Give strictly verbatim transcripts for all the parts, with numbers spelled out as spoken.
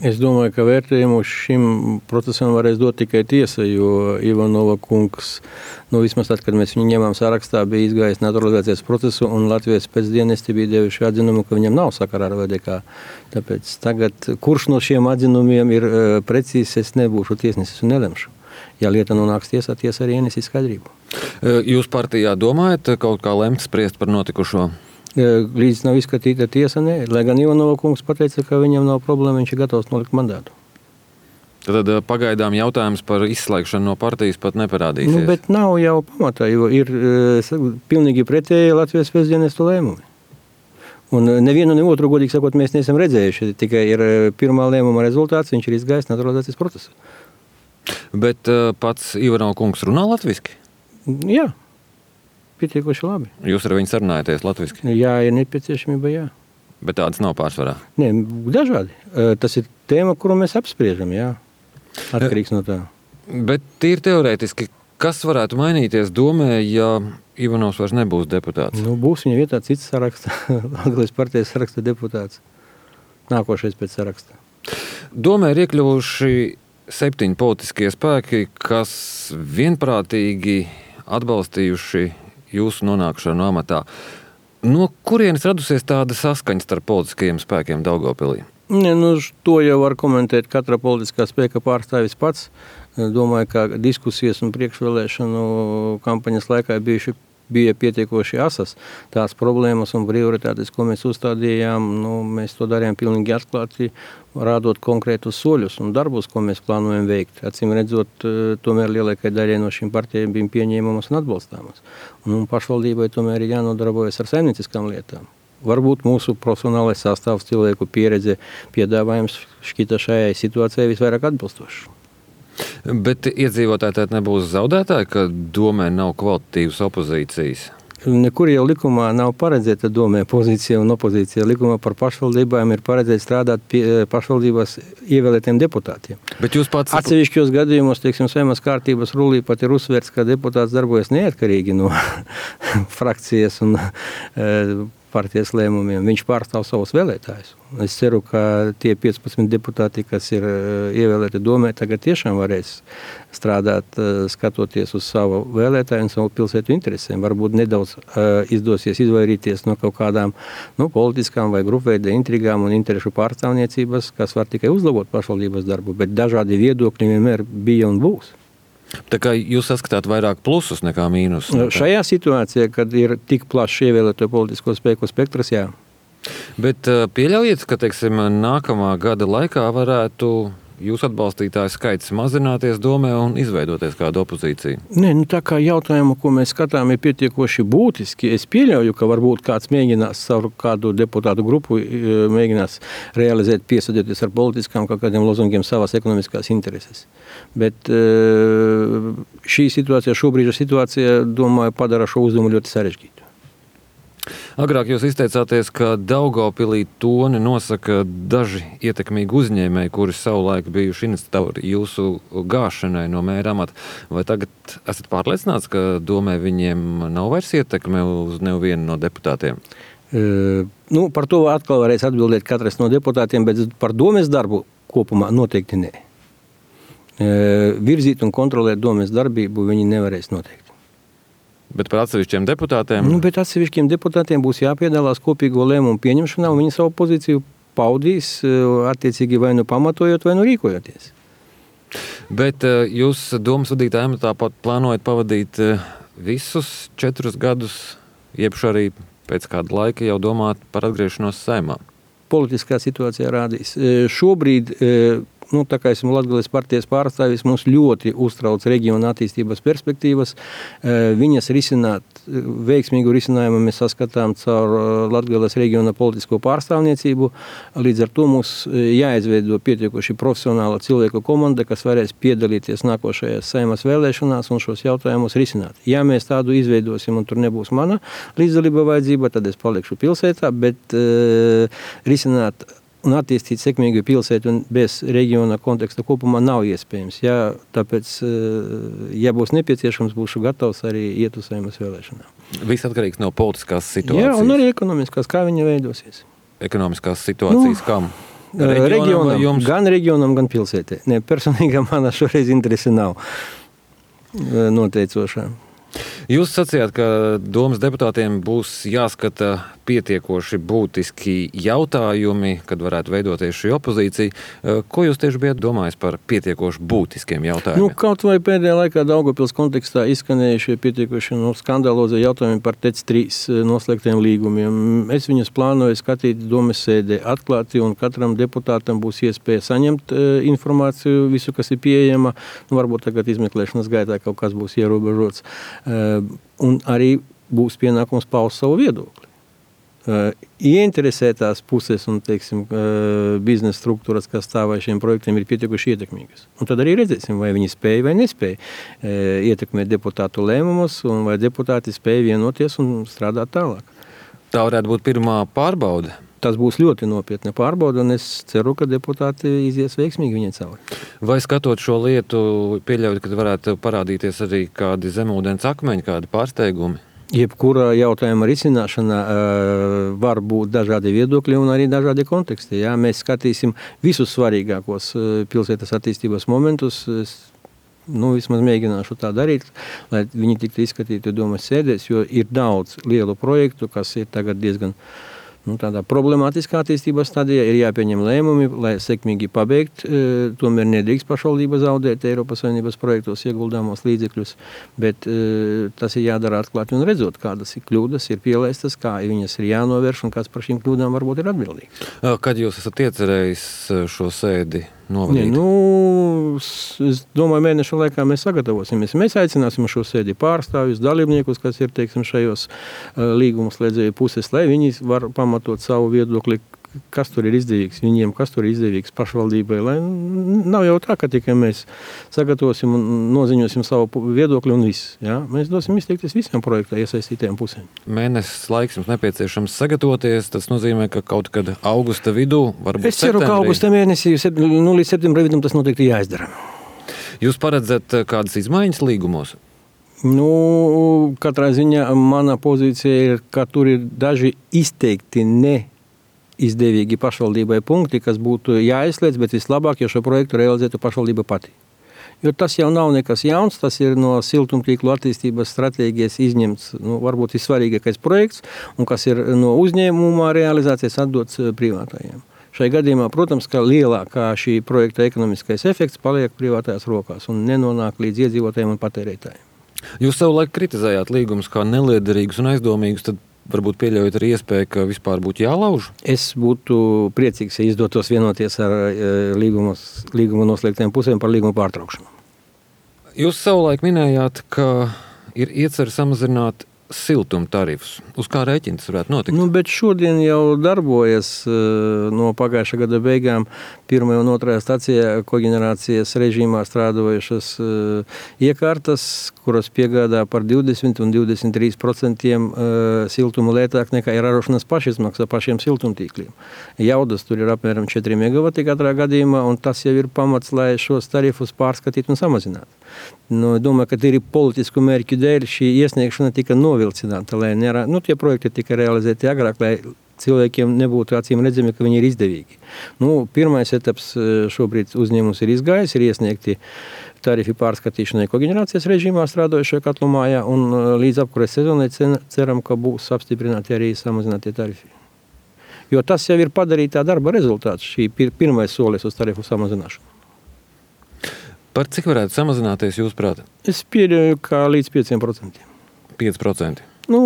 Es domāju, ka vērtējumu šim procesam varēs dot tikai tiesa, jo Ivanova kungs, nu vismaz tad, kad mēs viņu ņemām sarakstā, bija izgājis naturalizācijas procesu, un Latvijas pēcdienesti bija devuši atzinumu, ka viņam nav sakara ar V D K. Tāpēc tagad, kurš no šiem atzinumiem ir uh, precīzs, es nebūšu tiesnesis un nelemšu. Ja lieta nonāks tiesā, tiesa arī ienesīs skaidrību. Jūs partijā domājat kaut kā lemt spriest par notikušo? Līdz nav izskatīta tiesa, nē. Lai gan Ivanova kungs pateica, ka viņam nav problēma, viņš ir gatavs nolikt mandātu. Tad pagaidām jautājums par izslēgšanu no partijas pat neparādīsies. Nu, bet nav jau pamatā, jo ir uh, pilnīgi pretēji Latvijas pēcdienestu lēmumi. Un nevienu, ne otru, godīgi sakot, mēs neesam redzējuši. Tikai ir pirmā lēmuma rezultāts, viņš ir izgājis naturalizācijas procesu. Bet uh, pats Ivanova kungs runā latviski? Jā. Pietiekoši labi. Jūs ar viņu sarunājaties latviski? Jā, ir nepieciešamība, jā. Bet tādas nav pārsvarā? Nē, dažādi. Tas ir tēma, kuru mēs apspriežam, jā. Atkarīgs no tā. Bet tīri teorētiski, kas varētu mainīties domē, ja Ivanovs vairs nebūs deputāts? Nu, būs viņa vietā cits saraksta, Latvijas partijas saraksta deputāts. Nākošais pēc saraksta. Domē ir iekļuvuši septiņi politiskie spēki, kas vienprātīgi atbalstījuši jūsu nonākšanu amatā. No kurienes radusies tāda saskaņa starp politiskajiem spēkiem Daugavpilī? Ne, nu, to jau var komentēt katra politiskā spēka pārstāvis pats. Domāju, ka diskusijas un priekšvēlēšanu kampaņas laikā bijuši, bija pietiekoši asas. Tās problēmas un prioritātes, ko mēs uzstādījām, nu, mēs to darījām pilnīgi atklāti, rādot konkrētus soļus un darbus, ko mēs plānojam veikt. Acīm redzot, tomēr lielākai daļai no šīm partijām bija pieņēmamas un atbalstāmas. Un pašvaldībai tomēr ir jānodarbojas ar saimnieciskām lietām. Varbūt mūsu profesionālais sastāvs, cilvēku pieredze, piedāvājums šķita šajai situācijai visvairāk atbilstošs. Bet iedzīvotāji tātad nebūs zaudētāji, ka domē nav kvalitatīvas opozīcijas? Nekur jau likumā nav paredzēta domē pozīcija un opozīcija. Likumā par pašvaldībām ir paredzēts strādāt pie pašvaldībās ievēlētiem deputātiem. Bet jūs pats... Atsevišķos gadījumos, teiksim, Saeimas kārtības rulī pat ir uzsvērts, ka deputāts darbojas neatkarīgi no frakcijas un e, partijas lēmumiem. Viņš pārstāv savus vēlētājus. Es ceru, ka tie piecpadsmit deputāti, kas ir ievēlēti domē, tagad tiešām varēs strādāt, skatoties uz savu vēlētāju un savu pilsētu interesēm. Varbūt nedaudz uh, izdosies izvairīties no kaut kādām nu, politiskām vai grupveida intrigām un interešu pārstāvniecības, kas var tikai uzlabot pašvaldības darbu, bet dažādi viedokļi vienmēr bija un būs. Tā kā jūs saskatāt vairāk plusus nekā mīnus? Nekā... Šajā situācijā, kad ir tik plašs ievēlēto politisko spēku spektrs, jā. Bet pieļaujiet, ka, teiksim, nākamā gada laikā varētu jūsu atbalstītāju skaits mazināties domē un izveidoties kādu opozīciju? Nē, nu tā kā jautājumu, ko mēs skatām, ir pietiekoši būtiski. Es pieļauju, ka varbūt kāds mēģinās savu kādu deputātu grupu mēģinās realizēt, piesadoties ar politiskām kaut kādiem lozungiem savas ekonomiskās intereses. Bet šī situācija, šobrīd situācija, domāju, padara šo uzdevumu ļoti sarežģītu. Agrāk jūs izteicāties, ka Daugavpilī toni nosaka daži ietekmīgi uzņēmēji, kuri savulaik bijuši iniciatori jūsu gāšanai no mēra amata. Vai tagad esat pārliecināts, ka domē viņiem nav vairs ietekme uz nevienu no deputātiem? E, nu, par to atkal varēs atbildēt katrs no deputātiem, bet par domes darbu kopumā noteikti nē. E, virzīt un kontrolēt domes darbību viņi nevarēs noteikti. Bet par atsevišķiem deputātiem? Nu, bet atsevišķiem deputātiem būs jāpiedalās kopīgo lēmumu pieņemšanā, un viņi savu pozīciju paudīs, attiecīgi vai nu pamatojot, vai nu rīkojoties. Bet jūs domas vadītāja amatā plānojat pavadīt visus četrus gadus, jeb arī pēc kāda laika jau domāt par atgriešanos Saeimā? Politiskā situācija rādīs. Šobrīd... Nu, tā kā esmu Latgales partijas pārstāvis, mums ļoti uztrauc reģiona attīstības perspektīvas. Viņas risināt, veiksmīgu risinājumu mēs saskatām caur Latgales reģiona politisko pārstāvniecību. Līdz ar to mums jāizveido pietiekoši profesionāla cilvēku komanda, kas varēs piedalīties nākošajās Saeimas vēlēšanās un šos jautājumus risināt. Ja mēs tādu izveidosim un tur nebūs mana līdzdalība vajadzība, tad es palikšu pilsētā, bet uh, risināt un attīstīt sekmīgu pilsētu un bez reģiona konteksta kopumā nav iespējams. Ja, tāpēc, ja būs nepieciešams, būšu gatavs arī iet uz Saeimas vēlēšanām. Viss atkarīgs no politiskās situācijas. Jā, un arī ekonomiskās, kā viņa veidosies. Ekonomiskās situācijas, nu, kam? Reģionam vai reģionam, jums? gan reģionam, gan pilsētē. Ne, personīgā manā šoreiz interesi nav noteicošā. Jūs sacījāt, ka domas deputātiem būs jāskata pietiekoši būtiski jautājumi, kad varētu veidoties šī opozīcija. Ko jūs tieši bijat domājis par pietiekoši būtiskiem jautājumiem? Nu, kaut vai pēdējā laikā Daugavpils kontekstā izskanējušie pietiekoši nu, skandalozie jautājumi par T E C trīs noslēgtiem līgumiem. Es viņus plānoju skatīt domas sēdē atklāti, un katram deputātam būs iespēja saņemt e, informāciju, visu, kas ir pieejama. Nu, varbūt tagad izmeklēšanas gaitā kaut kas būs ierobežots. E, un arī būs pienākums paust savu viedokli. Uh, ieinteresētās puses un, teiksim, uh, biznesa struktūras, kas stāvā šiem projektiem, ir pietiekuši ietekmīgas. Un tad arī redzēsim, vai viņi spēja vai nespēja uh, ietekmēt deputātu lēmumus, un vai deputāti spēja vienoties un strādāt tālāk. Tā varētu būt pirmā pārbaude. Tas būs ļoti nopietna pārbauda, un es ceru, ka deputāti izies veiksmīgi viņai cauri. Vai skatot šo lietu, pieļaut, ka varētu parādīties arī kādi zemūdens akmeņi, kādi pārsteigumi? Jebkura jautājuma risināšana uh, var būt dažādi viedokļi un arī dažādi konteksti. Jā? Mēs skatīsim visus svarīgākos uh, pilsētas attīstības momentus. Es, nu, vismaz mēģināšu tā darīt, lai viņi tiktu izskatīti domas sēdēs, jo ir daudz lielu projektu, kas ir tagad diezgan nu, tādā problemātiskā attīstības stadijā, ir jāpieņem lēmumi, lai sekmīgi pabeigt. E, tomēr nedrīkst pašvaldība zaudēt Eiropas Savienības projektos ieguldāmos līdzekļus, bet e, tas ir jādara atklāti un redzot, kādas ir kļūdas, ir pielaistas, kā viņas ir jānovērš un kas par šīm kļūdām varbūt ir atbildīgs. Kad jūs esat iecerējis šo sēdi novadīt? Ne, nu, es domāju, mēneša laikā mēs sagatavosimies. Mēs aicināsim šo sēdi pārstāvjus, dalībniekus, kas ir, teiksim, šajos līgumu slēdzēju puses, lai viņi var pamatot savu viedokli, kas tur ir izdevīgs viņiem, kas tur ir izdevīgs pašvaldībai. Lai nav jau tā, ka tikai mēs sagatavosim un noziņosim savu viedokli un viss. Ja? Mēs dosim izteikties visiem projektā iesaistītajiem pusēm. Mēnesis laiks jums nepieciešams sagatavoties. Tas nozīmē, ka kaut kad augusta vidū, varbūt es ceru, septembrī. ka augusta mēnesī, nu, līdz septembra vidum tas noteikti jāizdara. Jūs paredzat kādas izmaiņas līgumos? Nu, katrā ziņā mana pozīcija ir, ka tur ir daži izteikti ne izdevīgi pašvaldībai punkti, kas būtu jāizslēdz, bet vislabāk, ja šo projektu realizētu pašvaldība pati. Jo tas jau nav nekas jauns, tas ir no siltumtīklu attīstības stratēģijas izņemts, nu, varbūt vissvarīgākais projekts, un kas ir no uzņēmuma realizācijas atdots privātajiem. Šai gadījumā, protams, ka lielākā šī projekta ekonomiskais efekts paliek privātajās rokās un nenonāk līdz iedzīvotājiem un patērētājiem. Jūs savulaik kritizējāt līgumus kā neliederīgus un aizdomīgus, tad varbūt pieļaujat arī iespēju, ka vispār būtu jālauž? Es būtu priecīgs, ja izdotos vienoties ar līgumu noslēgtiem pusēm par līgumu pārtraukšanu. Jūs savulaik minējāt, ka ir iecer samazināt siltuma tarifus. Uz kā rēķina tas varētu notikt? Nu, bet šodien jau darbojas no pagājušā gada beigām pirmajā un otrajā stacijā koģenerācijas režīmā strādojušas iekārtas, kuras piegādā par divdesmit un divdesmit trīs procentiem siltumu lētāk nekā ir ražošanas pašizmaksa pašiem siltumtīkliem. Jaudas tur ir apmēram četri megavati katrā gadījumā, un tas jau ir pamats, lai šos tarifus pārskatītu un samazinātu. Nu, domāju, ka ir politisku mērķu dēļ šī iesniegšana tika novilcināta, lai nerā, nu, tie projekti tika realizēti agrāk, lai cilvēkiem nebūtu acīm redzami, ka viņi ir izdevīgi. Nu, pirmais etaps šobrīd uzņēmums ir izgājis, ir iesniegti tarifi pārskatīšanai koģenerācijas režīmā strādojušajā katlumājā, un līdz apkures sezonai ceram, ka būs apstiprināti arī samazinātie tarifi. Jo tas jau ir padarītā darba rezultāts, šī pirmais solis uz tarifu samazināšanu. Par cik varētu samazināties jūs prāt? Es pieļauju, kā līdz pieciem procentiem. pieci procenti. Nu,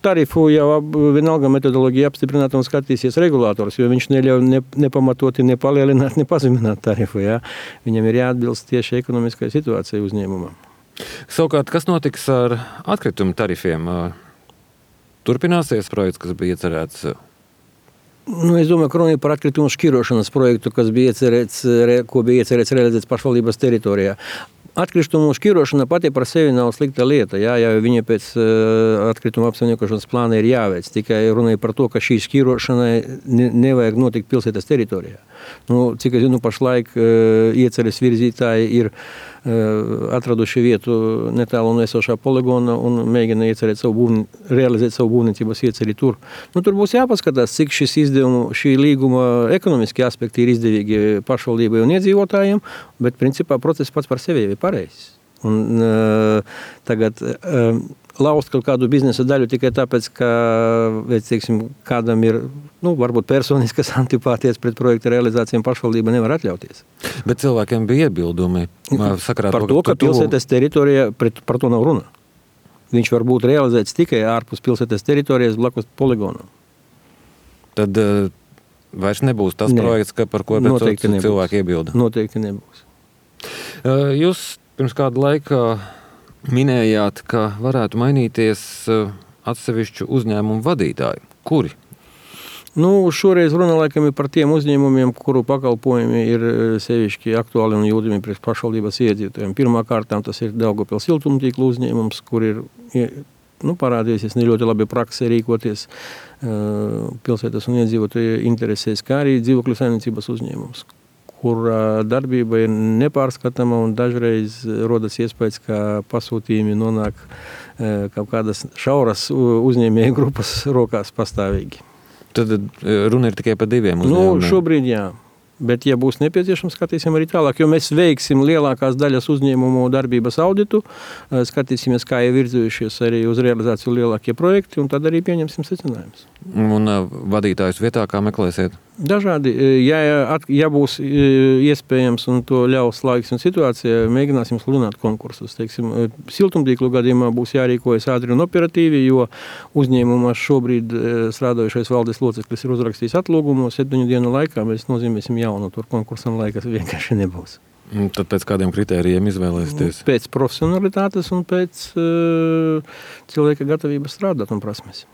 tarifu jau vienalga metodoloģija apstiprināta un skatīsies regulators, jo viņš neļauj ne, nepamatoti nepalielināt, nepazemināt tarifu. Jā. Viņam ir jāatbilst tieši ekonomiskai situācijai uzņēmumam. Savukārt, kas notiks ar atkritumu tarifiem? Turpināsies projekts, kas bija iecerēts? Nu, es domāju, ka runa ir par atkritumu šķirošanas projektu, kas bija iecerēts, ko bija iecerēts realizēts pašvaldības teritorijā. Atkritumu šķirošana pati par sevi nav slikta lieta, jā, ja viņa pēc uh, atkrituma apsaimniekošanas plāna ir jāveic. Tikai runa ir par to, ka šī šķirošanai ne, nevajag notikt pilsētas teritorijā. Nu, cik es zinu, pašlaik uh, ieceres virzītāji ir atraduši vietu netālu no esošā poligona un mēģina iecerēt savu būvni, realizēt savu būvniecības ieceri tur. Nu, tur būs jāpaskatās, cik šis izdevumu, šī līguma ekonomiski aspekti ir izdevīgi pašvaldībai un iedzīvotājiem, bet principā process pats par sevi ir pareizs. Un uh, tagad uh, laust kaut kādu biznesa daļu tikai tāpēc, ka, teiksim, kādam ir, nu, varbūt personiskas antipātijas pret projekta realizācijām pašvaldība nevar atļauties. Bet cilvēkiem bija iebildumi sakarā par to, ka pilsētas teritorija, pret, par to nav runa. Viņš var būt realizēts tikai ārpus pilsētas teritorijas blakus poligonam. Tad uh, vairs nebūs tas ne. projekts, ka par ko cilvēki iebilda? Noteikti nebūs. Uh, jūs pirms kāda laika minējāt, ka varētu mainīties atsevišķu uzņēmumu vadītāji. Kuri? Nu, šoreiz runa laikam ir par tiem uzņēmumiem, kuru pakalpojumi ir sevišķi aktuāli un jūtami priekš pašvaldības iedzīvotājiem. Pirmā kārtām tas ir Daugavpils siltumtīklu uzņēmums, kur ir nu, parādījusies ne ļoti labi praksē rīkoties uh, pilsētas un iedzīvotāju interesēs, kā arī dzīvokļu saimniecības uzņēmums, kur darbība ir nepārskatama un dažreiz rodas iespējas, ka pasūtījumi nonāk kaut kādas šauras uzņēmēju grupas rokās pastāvīgi. Tad runa ir tikai par diviem uzņēmumiem? Nu, šobrīd jā. Bet, ja būs nepieciešams, skatīsim arī tālāk, jo mēs veiksim lielākās daļas uzņēmumu darbības auditu, skatīsimies, kā ir virzījušies arī uz realizāciju lielākie projekti, un tad arī pieņemsim secinājumus. Un vadītājus vietā kā meklēsiet? Dažādi. Ja, ja būs iespējams un to ļaus laiks un situācija, mēģināsim sludināt konkursus. Teiksim, siltumtīklu gadījumā būs jārīkojas ātri un operatīvi, jo uzņēmumā šobrīd strādājušais valdes loceklis ir uzrakstījis atlūgumu, septiņu dienu laikā mēs nozīmēsim jaunu, tur konkursam laikas vienkārši nebūs. Tad pēc kādiem kritērijiem izvēlēsieties? Pēc profesionalitātes un pēc uh, cilvēka gatavības strādāt un prasmes.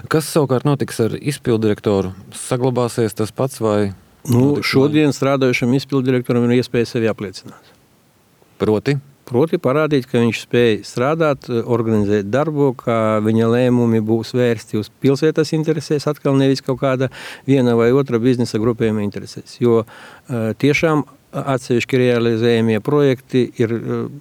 Kas savukārt notiks ar izpildirektoru? Saglabāsies tas pats vai? Nu, šodien strādājušam izpildirektoram ir iespēja sevi apliecināt. Proti? Proti parādīt, ka viņš spēj strādāt, organizēt darbu, ka viņa lēmumi būs vērsti uz pilsētas interesēs, atkal nevis kaut kāda viena vai otra biznesa grupējuma interesēs. Jo tiešām atsevišķi realizējamie projekti ir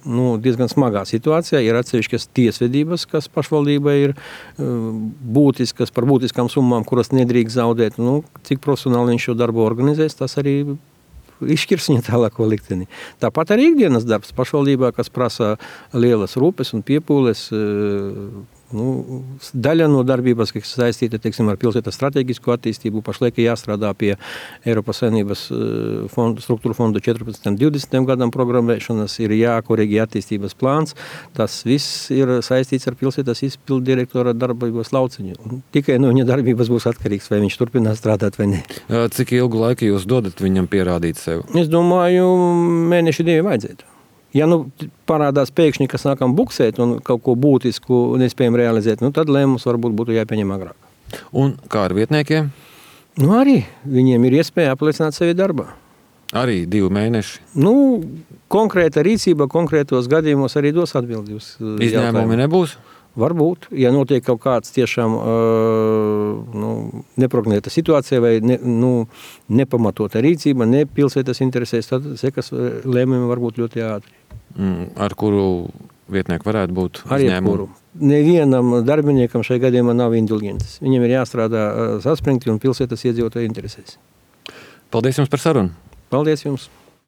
nu, diezgan smagā situācijā. Ir atsevišķas tiesvedības, kas pašvaldībai ir būtiskas par būtiskām summām, kuras nedrīkst zaudēt. Nu, cik profesionāli viņš šo darbu organizēs, tas arī izšķirs viņa tālāko likteni. Tāpat arī ikdienas darbs pašvaldībā, kas prasa lielas rūpes un piepūles. Nu, daļa no darbības, kas saistīta, teiksim, ar pilsētas strateģisko attīstību, pašlaik jāstrādā pie Eiropas Savienības fondu, struktūru fondu četrpadsmitam divdesmitam gadam programmēšanas, ir jākorigē attīstības plāns. Tas viss ir saistīts ar pilsētas izpildu direktora darbības lauciņu. Un tikai no viņa darbības būs atkarīgs, vai viņš turpinās strādāt vai ne. Cik ilgu laiku jūs dodat viņam pierādīt sev? Es domāju, mēneši divi vajadzētu. Ja nu parādās pēkšņi, ka sākam buksēt un kaut ko būtisku nespējam realizēt, nu tad lēmums varbūt būtu jāpieņem agrāk. Un kā ar vietniekiem? Nu arī viņiem ir iespēja apliecināt sevi darbā. Arī divi mēneši? Nu, konkrēta rīcība konkrētos gadījumos arī dos atbildi uz jautājumu. Izņēmumi nebūs? Varbūt, ja notiek kaut kāds tiešām uh, nu, neprognozēta situācija vai ne, nu, nepamatota rīcība, ne pilsētas interesēs, tad sekas lēmumi var būt ļoti ātri. Mm, ar kuru vietnieku varētu būt izņēmumu? Nevienam darbiniekam šai gadījumā nav indulgences. Viņam ir jāstrādā uh, saspringti un pilsētas iedzīvotāju interesēs. Paldies jums par sarunu. Paldies jums.